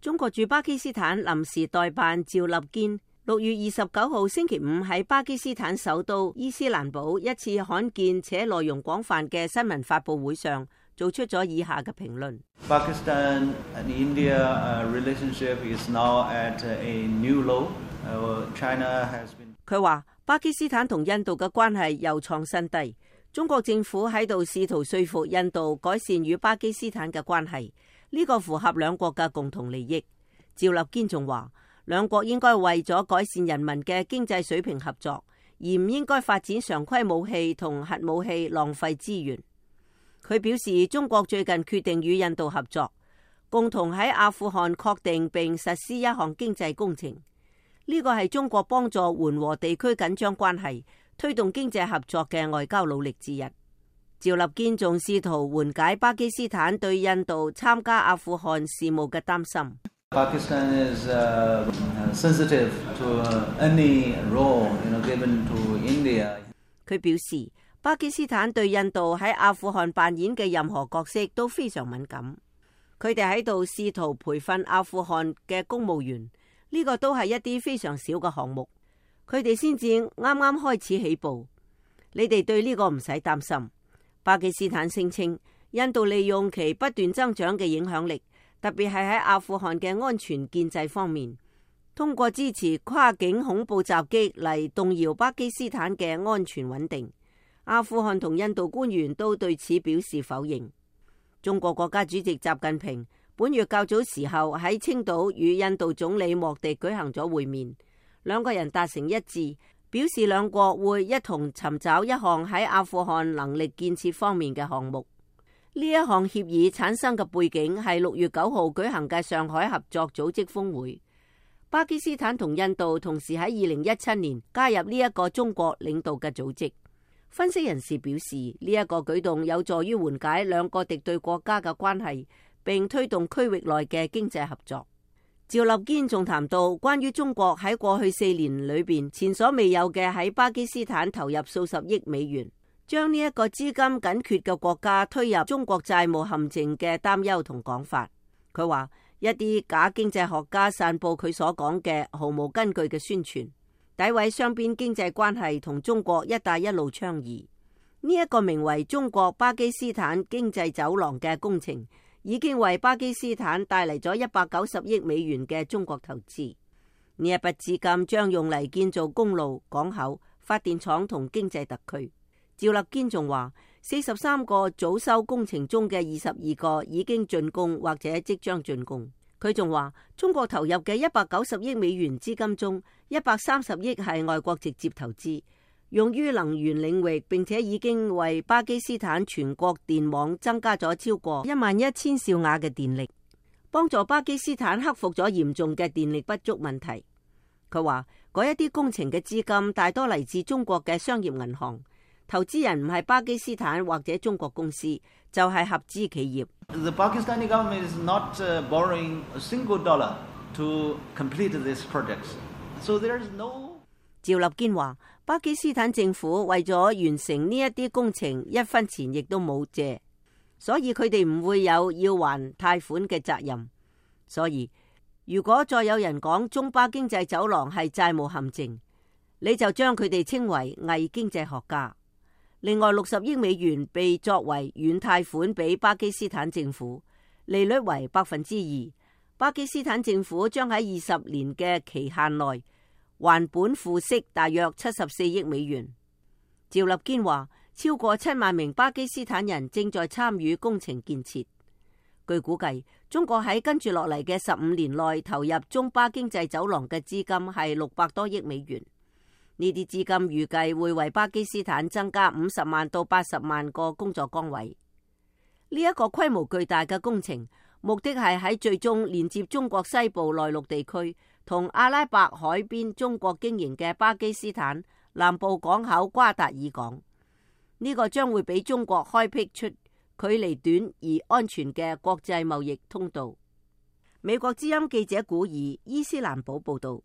中國駐巴基斯坦臨時代辦趙立堅6月29號星期五喺巴基斯坦首都伊斯蘭堡一次罕見且內容廣泛嘅新聞發佈會上，做出咗以下嘅評論。Pakistan and India relationship is now at a new low. China has been. 佢話巴基斯坦同印度嘅關係又創新低，中國政府喺度試圖說服印度改善與巴基斯坦嘅關係，呢個符合兩國嘅共同利益。趙立堅仲話，兩國應該為咗改善人民嘅經濟水平合作，而唔應該發展常規武器同核武器，浪費資源。佢表示，中國最近決定與印度合作，共同喺阿富汗確定並實施一項經濟工程。呢個係中國幫助緩和地區緊張關係、推動經濟合作嘅外交努力之一。趙立堅仲試圖緩解巴基斯坦對印度參加阿富汗事務嘅擔心。Pakistan is sensitive to any role given to India. 佢表示，巴基斯坦對印度喺阿富汗扮演嘅任何角色都非常敏感。佢哋喺度試圖培訓阿富汗嘅公務員。呢個都係一啲非常小嘅項目，佢哋先至啱啱開始起步。你哋對呢個唔使擔心。巴基斯坦聲稱，印度利用其不斷增長嘅影響力，特別係喺阿富汗嘅安全建制方面，通過支持跨境恐怖襲擊嚟動搖巴基斯坦嘅安全穩定。阿富汗同印度官員都對此表示否認。中國國家主席習近平本月較早時候喺青島與印度總理莫迪舉行咗會面，兩個人達成一致，表示兩國會一同尋找一項喺阿富汗能力建設方面嘅項目。呢一項協議產生嘅背景係6月9號舉行嘅上海合作組織峰會。巴基斯坦同印度同時喺2017年加入呢一個中國領導嘅組織。分析人士表示，呢一個舉動有助於緩解兩個敵對國家嘅關係，並推動區域內嘅經濟合作。趙立堅仲談到關於中國喺過去4年裏邊前所未有嘅喺巴基斯坦投入數十億美元，將呢一個資金緊缺嘅國家推入中國債務陷阱嘅擔憂同講法。佢話一啲假經濟學家散佈佢所講嘅毫無根據嘅宣傳，詆毀雙邊經濟關係同中國一帶一路倡議。呢一個名為中國巴基斯坦經濟走廊嘅工程，已經為巴基斯坦帶嚟咗190億美元嘅中國投資。呢一筆資金將用嚟建造公路、港口、發電廠同經濟特區。趙立堅仲話，43個早收工程中嘅22個已經竣工或者即將竣工。佢仲話，中國投入嘅190億美元資金中，130億係外國直接投資，用於能源領域，並且已經為巴基斯坦全國電網增加咗超過11000兆瓦嘅電力，幫助巴基斯坦克服咗嚴重嘅電力不足問題。佢話嗰一啲工程嘅資金大多嚟自中國嘅商業銀行，投資人唔係巴基斯坦或者中國公司，就係合資企業。The Pakistani government is not borrowing a single dollar to complete these projects, so there is no. 趙立堅話，巴基斯坦政府為咗完成呢一啲工程，一分錢亦都冇借，所以佢哋唔會有要還貸款嘅責任。所以如果再有人講中巴經濟走廊係債務陷阱，你就將佢哋稱為偽經濟學家。另外60億美元被作為軟貸款俾巴基斯坦政府，利率為2%。巴基斯坦政府將喺20年嘅期限內還本付息大約74億美元。趙立堅話，超過7萬名巴基斯坦人正在參與工程建設。據估計，中國喺跟住落嚟嘅15年內投入中巴經濟走廊嘅資金係600多億美元。呢啲資金預計會為巴基斯坦增加50萬到80萬個工作崗位。呢一個規模巨大嘅工程，目的係喺最終連接中國西部內陸地區同阿拉伯海邊中國經營嘅巴基斯坦南部港口瓜達爾港。呢個將會俾中國開闢出距離短而安全嘅國際貿易通道。美國之音記者古爾伊斯蘭堡報道。